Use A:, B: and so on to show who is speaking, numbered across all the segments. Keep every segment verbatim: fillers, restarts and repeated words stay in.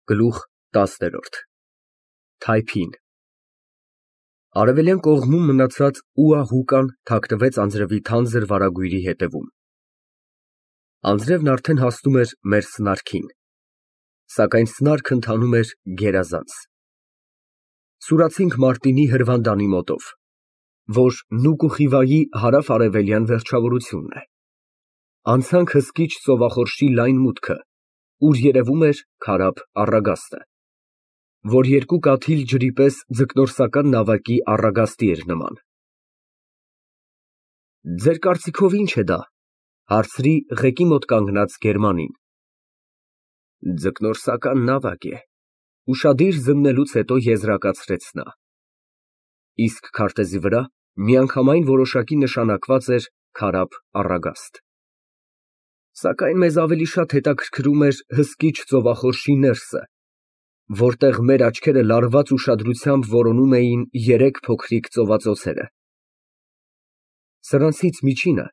A: Գլուխ տասներորդ Թայփին Արևելյան կողմում մնացած ուահուկան թաքնվեց անձրևի թանձր վարագույրի ետևում։ Անձրևն արդեն հասնում էր մեր սնարքին, սակայն սնարքը ընթանում էր գերազանց։ Սուրացինք Մարտինի հրվանդանի մոտով, որ Նուկուխիվայի հարավ֊արևելյան վերջավորությունն է։ Անցանք հսկիչ ծովախորշի լայն մուտքը, ուր երևում էր քարափ առագաստը, որ երկու կաթիլ ջրի պես ձկնորսական նավակի առագաստի էր նման։ Ձեր կարծիքով ի՞նչ է դա, հարցրի ղեկի մոտ կանգնած գերմանին։ Ձկնորսական նավակ է, ուշադիր զննելուց հետո եզրակացրեց նա։ Իսկ քարտեզի վրա միանգամայն որոշակի նշանակված էր քարափ առագաստ։ Սակայն մեզ ավելի շատ հետաքրքրում էր հսկիչ ծովախորշի ներսը, որտեղ մեր աչքերը լարված ուշադրությամբ որոնում էին երեք փոքրիկ ծովածոցերը։ Սրանցից միջինը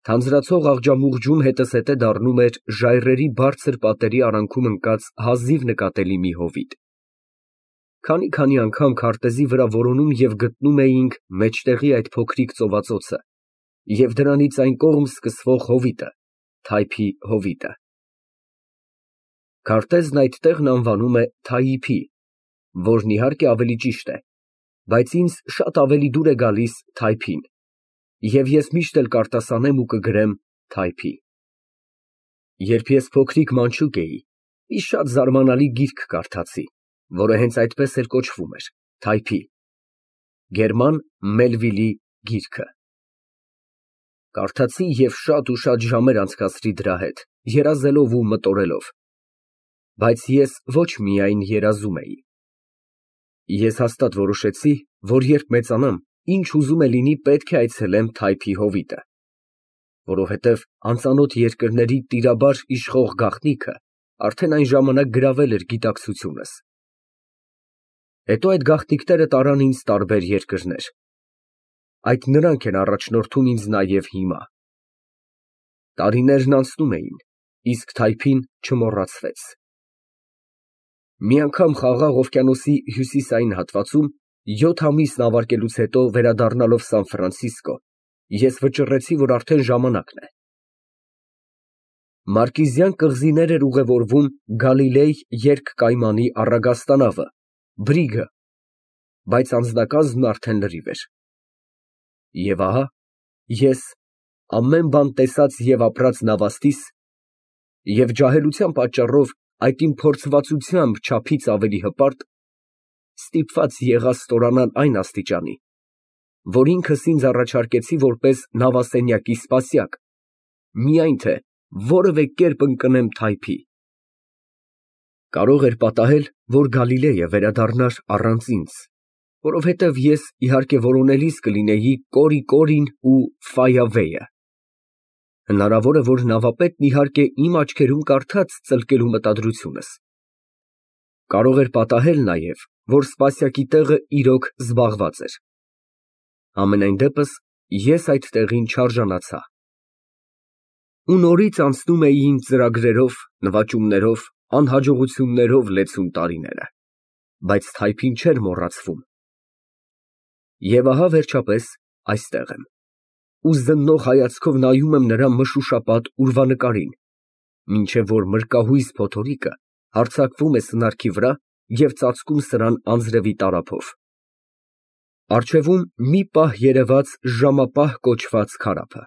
A: թանձրացող աղջամուղջում հետզհետե դառնում էր ժայռերի բարձր պատերի արանքում ընկած հազիվ նկատելի մի հովիտ։ Քանի֊քանի անգամ քարտեզի վրա որոնում և գտնում էինք մեջտեղի այդ փոքրիկ ծովածոցը և դրանից այն կողմ սկսվող հովիտը, Թայփի հովիտը։ Քարտեզն այդ տեղն անվանում է Թայիփի, որն իհարկե ավելի ճիշտ է, բայց ինձ շատ ավելի դուր է գալիս Թայփին, և ես միշտ էլ կարտասանեմ ու կգրեմ Թայփի։ Երբ ես փոքրիկ մանչուկ էի, մի շատ զարմանալի գիրք կարդացի, որը հենց այդպես էլ կոչվում էր Թայփի, Գերման Մելվիլի գիրքը։ Կարդացի և շատ ու շատ ժամեր անցկացրի դրա հետ, երազելով ու մտորելով, բայց ես ոչ միայն երազում էի։ Ես հաստատ որոշեցի, որ երբ մեծանամ, ինչ ուզում է լինի պետք է այցելեմ Թայփի հովիտը, որովհետև անծանոթ երկրների տիրաբար իշխող գաղտնիքը արդեն այն ժամանակ գրավել էր գիտակցությունս։ Հետո այդ գաղտնիքները տարան ինձ տարբեր երկրներ։ Այդ նրանք են առաջնորդում ինձ նաև հիմա։ Տարիներն անցնում էին, իսկ Թայփին չմոռացվեց։ Մի անգամ Խաղաղ օվկիանոսի հյուսիսային հատվածում յոթ ամիս նավարկելուց հետո վերադառնալով Սան Ֆրանցիսկո, ես վճռեցի, որ արդեն ժամանակն է։ Մարկիզյան կղզիներ էր ուղևորվում Գալիլեյ երկկայմանի առագաստանավը, Բրիգը, բայց անձնակազմն արդեն լրիվ էր։ Եվ ահա ես, ամեն բան տեսած և ապրած նավաստիս, և ջահելության պատճառով այդ իմ փորձվածությամբ չափից ավելի հպարտ, ստիպված եղա ստորանալ այն աստիճանի, որ ինքս ինձ առաջարկեցի որպես նավասենյակի սպասյակ, միայն թե որևէ կերպ ընկնեմ Թայփի։ Կարող էր պատահել, որ Գալիլեյը վերադառնար առանց ինձ, որովհետև ես, իհարկե, որոնելիս կլինեի Կորի֊Կորին ու Ֆայավեյը։ Հնարավոր է, որ նավապետն իհարկե իմ աչքերում կարդաց ծլկելու մտադրությունս։ Կարող էր պատահել նաև, որ սպասյակի տեղը իրոք զբաղված էր։ Համենայն դեպս, ես այդ տեղին չարժանացա։ Ու նորից անցնում էի իմ ծրագրերով, նվաճումներով, անհաջողություններով լեցուն տարիները, բայց Թայփին չէր մոռացվում։ Եվ ահա վերջապես այստեղ եմ, ու զննող հայացքով նայում եմ նրա մշուշապատ ուրվանկարին, մինչև որ մրկահույս փոթորիկը հարձակվում է սնարքի վրա և ծածկում սրան անձրևի տարափով։ Առջևում մի պահ երևաց ժամապահ կոչված քարափը,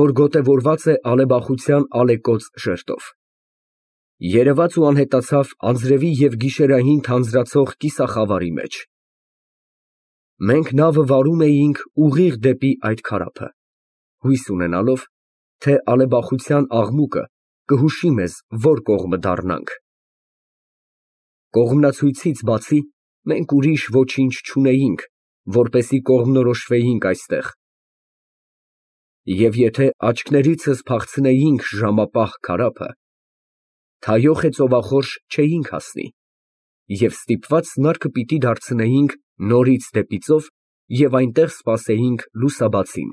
A: որ գոտևորված է ալեբախության ալեկոծ շերտով։ Երևաց ու անհետացավ անձրևի և գիշերային թանձրացող կիսախավարի մեջ։ Մենք նավը վարում էինք ուղիղ դեպի այդ քարափը, հույս ունենալով, թե ալեբախության աղմուկը կհուշի մեզ, որ կողմը դառնանք։ Կողմնացույցից բացի մենք ուրիշ ոչինչ չունեինք, որպեսզի կողմնորոշվեինք այստեղ։ Եվ եթե աչքներիցս փախցնեինք ժամապահ քարափը, թայոխ է ծովախորշ չէինք հասնի, և ստիպված սնարքը պիտի դարձնեինք նորից դեպի ծով և այնտեղ սպասեինք լուսաբացին։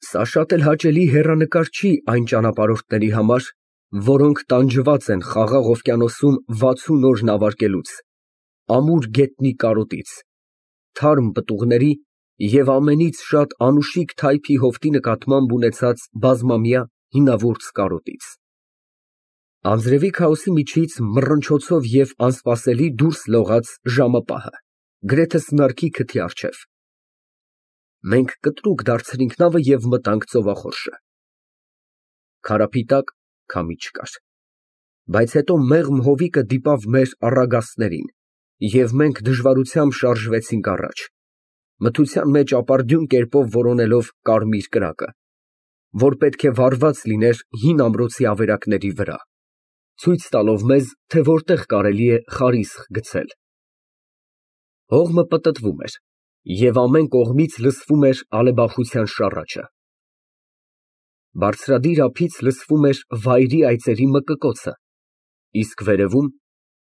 A: Սա շատ էլ հաճելի հեռանկար չի այն ճանապարհորդների համար, որոնք տանջված են Խաղաղ օվկիանոսում վաթսուն օր նավարկելուց, ամուր գետնի կարոտից, թարմ պտուղների և ամենից շատ անուշիկ թայփի հովտի նկատմամբ ունեցած բազմամյա հինավուրց կարոտից։ Անձրևի քաոսի միջից մռնչոցով և անսպասելի դուրս լողաց ժամապահը, գրեթե սնարկի քթի առջև։ Մենք կտրուկ դարձրինք նավը և մտանք ծովախորշը։ Քարափի տակ քամի չկար, բայց հետո մեղմ հովիկը դիպավ մեր առագաստներին, և մենք դժվարությամբ շարժվեցինք առաջ, մթության մեջ ապարդյուն կերպով որոնելով կարմիր կրակը, որ պետք է վառված լիներ հին ամրոցի ավերակների վրա, ցույց տալով մեզ, թե որտեղ կարելի է խարիսխ գցել։ Հողմը պտտվում էր, և ամեն կողմից լսվում էր ալեբախության շառաչը։ Բարձրադիր ափից լսվում էր վայրի այծերի մկկոցը, իսկ վերևում,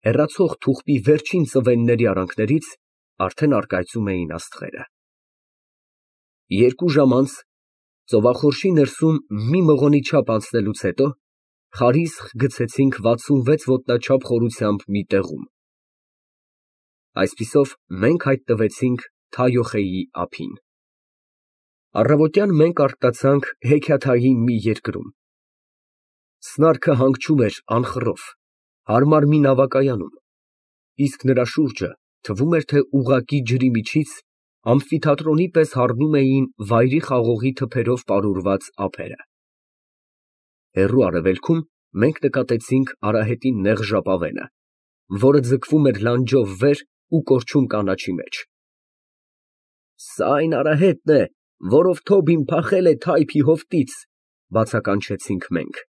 A: հեռացող թուղթի վերջին ծվենների արանքներից, արդեն առկայծում էին աստղերը։ Երկու ժամ անց, ծովախորշի ներսում մի մղոնի չափ անցնելուց հետո, խարիսխ գցեցինք վաթսունվեց ոտնաչափ խորությամբ մի տեղում։ Այսպիսով մենք հայտնվեցինք Թայոխեի ափին։ Առավոտյան մենք առկացանք հեքիաթային մի երկրում։ Սնարքը հանգչում էր անխռով, հարմար մի նավակայանում, իսկ նրա շուրջը թվում էր, թե ուղղակի ջրի միջից ամֆիթատրոնի պես հառնում էին վայրի խաղողի թփերով պարուրված ափերը։ Հեռու արևելքում մենք նկատեցինք արահետի նեղ ժապավենը, որը ձգվում էր լանջով վեր ու կորչում կանաչի մեջ։ «Սա այն արահետն է, որով Թոբին փախել է թայփի հովտից», ֊ բացականչեցինք մենք։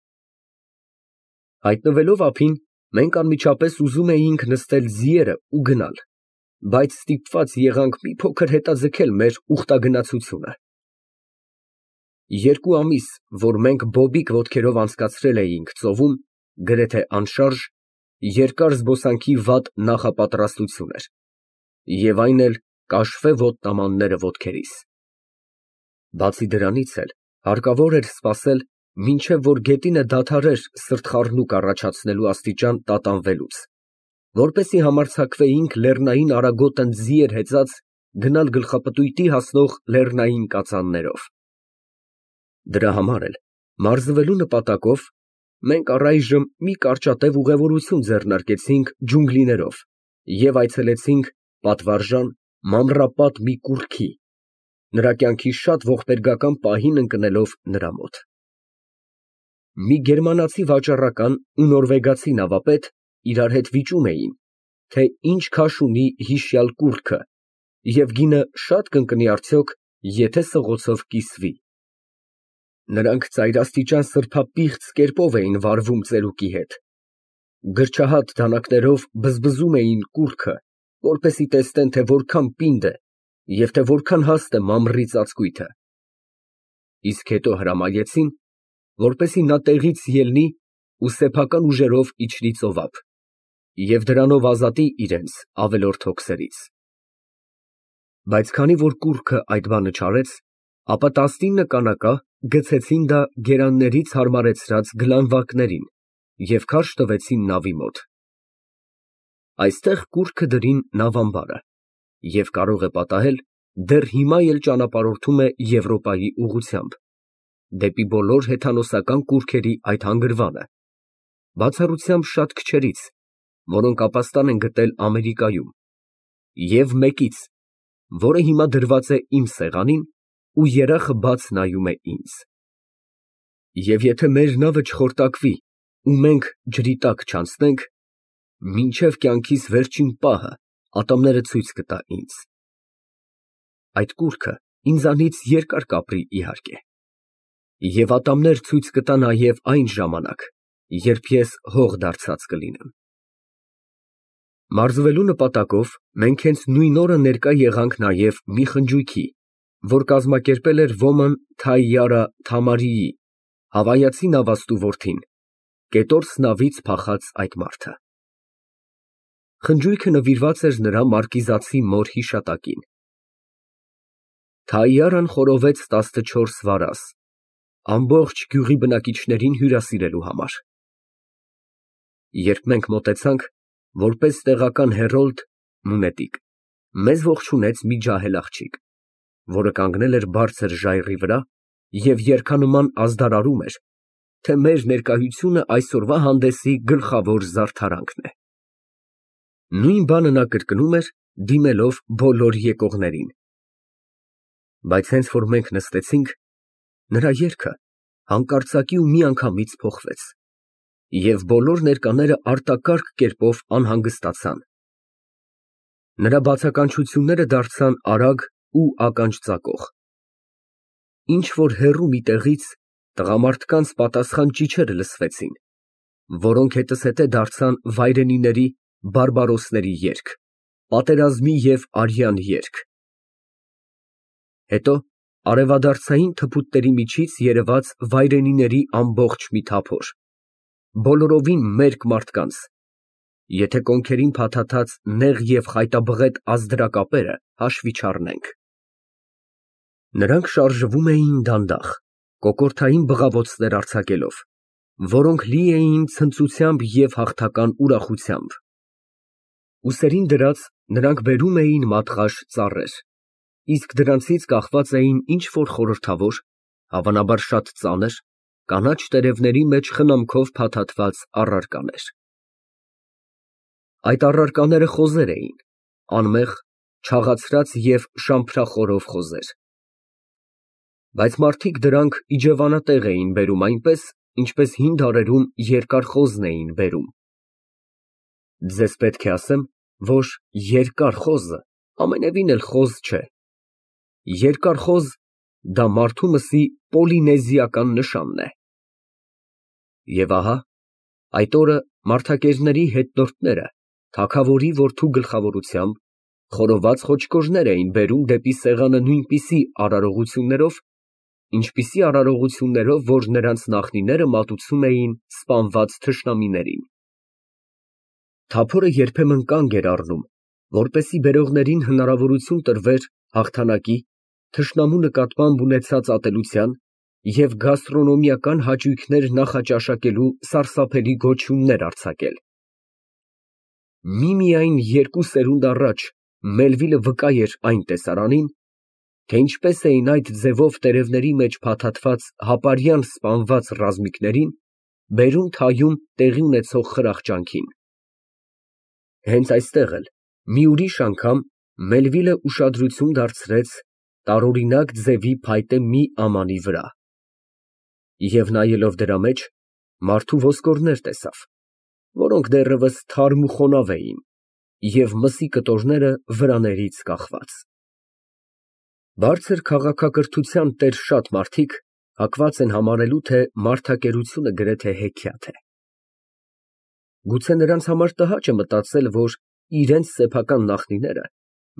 A: Հայտնվելով ափին, մենք անմիջապես ուզում էինք նստել ձիերը ու գնալ, բայց ստիպված եղանք մի փոքր հետաձգել մեր ուխտագնացությունը։ Երկու ամիս, որ մենք բոբիկ ոտքերով անցկացրել էինք ծովում, գրեթե անշարժ, երկար զբոսանքի վատ նախապատրաստություն էր, և այն էլ կաշվե ոտնամանները ոտքերիս։ Բացի դրանից էլ հարկավոր էր սպասել, մինչև որ գետինը դադարեր սրտխառնուկ առաջացնելու աստիճան տատանվելուց, որպեսզի համարձակվեինք լեռնային արագոտն ձիեր հեծած գնալ գլխապտույտի հասնող լեռնային կածաններով։ Դրա համար էլ, մարզվելու նպատակով, մենք առայժմ մի կարճատև ուղևորություն ձեռնարկեցինք ջունգլիներով և այցելեցինք պատվարժան, մանրապատ մի կուռքի, նրա կյանքի շատ ողբերգական պահին ընկնելով նրա մոտ։ Մի գերմանացի վաճառական ու նորվեգացի նավապետ իրար հետ վիճում էին, թե ինչ քաշ ունի հիշյալ կուռքը և գինը շատ կընկնի արդյոք, եթե սղոցով կիսվի։ Նրանք ծայրաստիճան սրբապիղծ կերպով էին վարվում ծերուկի հետ, գրչահատ դանակներով բզբզում էին կուռքը, որպեսզի տեսնեն, թե որքան պինդ է և թե որքան հաստ է մամռի ծածկույթը, իսկ հետո հրամայեցին, որպեսզի նա տեղից ելնի ու սեփական ուժերով իջնի ծովափ և դրանով ազատի իրենց ավելորդ հոգսերից։ Բայց քանի որ կուռքը այդ բանը չարեց, ապա տասնինը կանակա գցեցին դա գերաններից հարմարեցրած գլանվակներին և քարշ տվեցին նավի մոտ։ Այստեղ կուռքը դրին նավամբարը և կարող է պատահել, դեռ հիմա էլ ճանապարհորդում է Եվրոպայի ուղղությամբ, դեպի բոլոր հեթանոսական կուռքերի այդ հանգրվանը, բացառությամբ շատ քչերից, որոնք ապաստան են գտել Ամերիկայում, և մեկից, որը հիմա դրված է իմ սեղանին ու երախը բաց նայում է ինձ։ Եվ եթե մեր նավը չխորտակվի ու մենք ջրի տակ չանցնենք, մինչև կյանքիս վերջին պահը ատամները ցույց կտա ինձ։ Այդ կուռքը ինձանից երկար կապրի, իհարկե, և ատամներ ցույց կտա նաև այն ժամանակ, երբ ես հող դարձած կլինեմ։ Մարզվելու նպատակով մենք հենց նույն օրը ներկա եղանք նաև մի խնջույքի, որ կազմակերպել էր ոմն Թայյարա Թամարիի, հավայացի նավաստու որդին, կետորս նավից փախած այդ մարդը։ Խնջույքը նվիրված էր նրա մարկիզացի մոր հիշատակին։ Թայյարան խորովեց տասնչորս վարազ, ամբողջ գյուղի բնակիչներին հյուրասիրելու համար։ Երբ մենք մոտեցանք, որպես տեղական հերոլդ (մունետիկ), մեզ ողջունեց մի ջահել աղջիկ, որը կանգնել էր բարձր ժայռի վրա և երգանման ազդարարում էր, թե մեր ներկայությունը այսօրվա հանդեսի գլխավոր զարդարանքն է։ Նույն բանը նա կրկնում էր, դիմելով բոլոր եկողներին։ Բայց հենց որ մենք նստեցինք, նրա երգը հանկարծակի ու միանգամից փոխվեց, և բոլոր ներկաները արտակարգ կերպով անհանգստացան։ Նրա բացականչությունները դարձան արագ ու ականջ ծակող։ Ինչ֊որ հեռու մի տեղից տղամարդկանց պատասխան ճիչերը լսվեցին, որոնք հետզհետե դարձան վայրենիների, բարբարոսների երգ, պատերազմի և արյան երգ։ Հետո արևադարձային թփուտների միջից երևաց վայրենիների ամբողջ մի թափոր, բոլորովին մերկ մարդկանց, եթե կոնքերին փաթաթած նեղ և խայտաբղետ ազդրակապերը հաշվի չառնենք։ Նրանք շարժվում էին դանդաղ, կոկորդային բղավոցներ արձակելով, որոնք լի էին ցնծությամբ և հաղթական ուրախությամբ։ Ուսերին դրած նրանք բերում էին մատղաշ ծառեր, իսկ դրանցից կախված էին ինչ֊որ խորհրդավոր, հավանաբար շատ ծանր, կանաչ տերևների մեջ խնամքով փաթաթված առարկաներ։ Այդ առարկաները խոզեր էին, անմեղ, չաղացրած և շամփրախորով խոզեր։ Բայց մարդիկ դրանք իջևանատեղ էին բերում այնպես, ինչպես հին դարերում երկար խոզն էին բերում։ Ձեզ պետք է ասեմ, որ երկար խոզը ամենևին էլ խոզ չէ։ Երկար խոզ ֊ դա մարդու մսի պոլինեզիական նշանն է։ Եվ ահա, այդ օրը մարդակերների հետնորդները թագավորի որդու գլխավորությամբ խորոված խոչկորներ էին բերում դեպի սեղանը նույնպիսի արարողություններով, ինչպիսի արարողություններով, որ նրանց նախնիները մատուցում էին սպանված թշնամիներին։ Թափորը երբեմն կանգ էր առնում, որպեսզի բերողներին հնարավորություն տրվեր հաղթանակի, թշնամու նկատմամբ ունեցած ատելության և գաստրոնոմիական հաճույքներ նախաճաշակելու սարսափելի գոչյուններ արձակել։ Միմիայն երկու սերունդ առաջ Մելվիլը վկա էր այն տեսարանին, թե ինչպես էին այդ ձևով տերևների մեջ փաթաթված հապարյան սպանված ռազմիկներին բերում֊թայում տեղի ունեցող խրախճանքին։ Հենց այստեղ էլ մի ուրիշ անգամ Մելվիլը ուշադրություն դարձրեց տարօրինակ ձևի փայտե մի ամանի վրա և, նայելով դրա մեջ, մարդու ոսկորներ տեսավ, որոնք դեռևս թարմ ու խոնավ էին և մսի կտորները վրաներից կախված։ Բարձր քաղաքակրթության տեր շատ մարդիկ հակված են համարելու, թե մարդակերությունը գրեթե հեքիաթ է։ Գուցե նրանց համար տհաճ է մտածել, որ իրենց սեփական նախնիները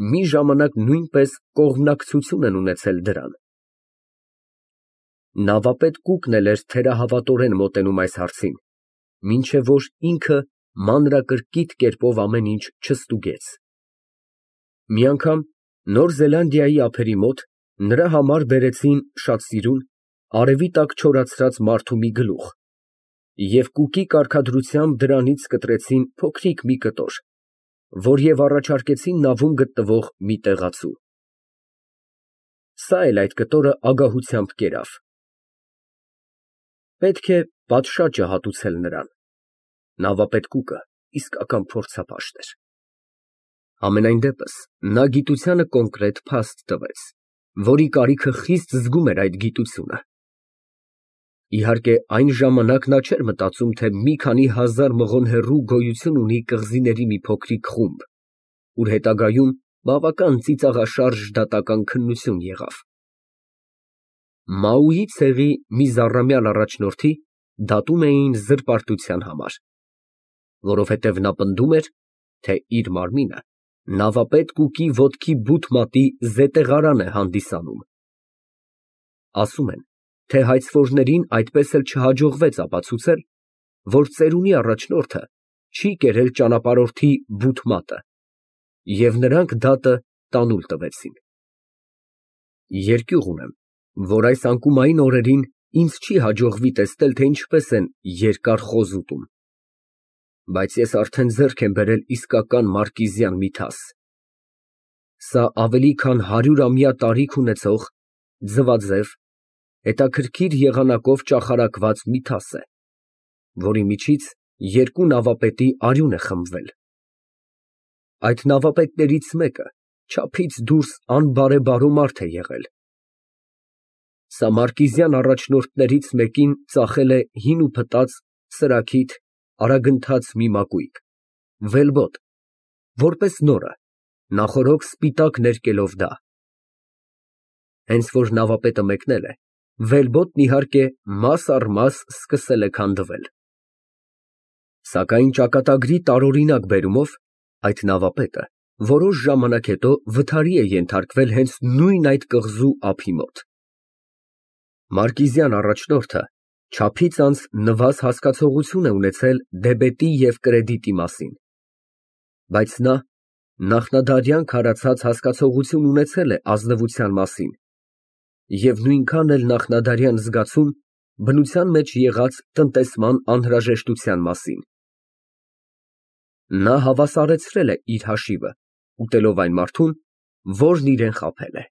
A: մի ժամանակ նույնպես կողմնակցություն են ունեցել դրան։ Նավապետ Կուկն էլ էր թերահավատորեն մոտենում այս հարցին, մինչև որ ինքը մանրակրկիտ կերպով ամեն ինչ չստուգեց։ Մի անգամ Նոր Զելանդիայի ափերի մոտ նրա համար բերեցին շատ սիրուն, արևի տակ չորացրած մարդու մի գլուխ և Կուկի կարգադրությամբ դրանից կտրեցին փոքրիկ մի կտոր, որ և առաջարկեցին նավում գտնվող մի տեղացու։ Սա էլ այդ կտորը ագահությամբ կերավ։ Պետք է պատշաճը հատուցել նրան։ Նավապետ Կուկը իսկական փորձապաշտ էր։ Համենայն դեպս, նա գիտությանը կոնկրետ փաստ տվեց, որի կարիքը խիստ զգում էր այդ գիտությունը։ Իհարկե, այն ժամանակ նա չէր մտածում, թե մի քանի հազար մղոն հեռու գոյություն ունի կղզիների մի փոքրիկ խումբ, ուր հետագայում բավական ծիծաղաշարժ դատական քննություն եղավ։ Մաուի ցեղի մի զառամյալ առաջնորդի դատում էին զրպարտության համար, որովհետև նա պնդում էր, թե իր մարմինը նավապետ Կուկի ոտքի բութ մատի զետեղարան է հանդիսանում։ Ասում են, թե հայցվորներին այդպես էլ չհաջողվեց ապացուցել, որ ծերունի առաջնորդը չի կերել ճանապարհորդի բութ մատը, և նրանք դատը տանուլ տվեցին։ Երկյուղ ունեմ, որ այս անկումային օրերին ինձ չի հաջողվի տեսնել, թե ինչպես են երկար խոզ ուտում։ Բայց ես արդեն ձեռք եմ բերել իսկական մարկիզյան միթաս։ Սա ավելի քան հարյուրամյա տարիք ունեցող, ձվաձև, հետաքրքիր եղանակով ճախարակված միթաս է, որի միջից երկու նավապետի արյուն է խմվել։ Այդ նավապետներից մեկը չափից դուրս անբարեբարո մարդ է եղել։ Սա մարկիզյան առաջնորդներից մեկին ծախել է հին ու փտած, սրաքիթ, արագընթաց մի մակույկ, վելբոտ, որպես նորը, նախօրոք սպիտակ ներկելով դա։ Հենց որ նավապետը մեկնել է, վելբոտն իհարկե մաս առ մաս սկսել է քանդվել։ Սակայն ճակատագրի տարօրինակ բերումով այդ նավապետը որոշ ժամանակ հետո վթարի է ենթարկվել հենց նույն այդ կղզու ափի մոտ։ Մարկիզյան առաջնորդը չափից անց նվազ հասկացողություն է ունեցել դեբետի և կրեդիտի մասին, բայց նա նախնադարյան քարացած հասկացողություն ունեցել է ազնվության մասին և նույնքան էլ նախնադարյան զգացում բնության մեջ եղած տնտեսման անհրաժեշտության մասին։ Նա հավասարեցրել է իր հաշիվը, ուտելով այն մարդուն, որն իրան խաբել է։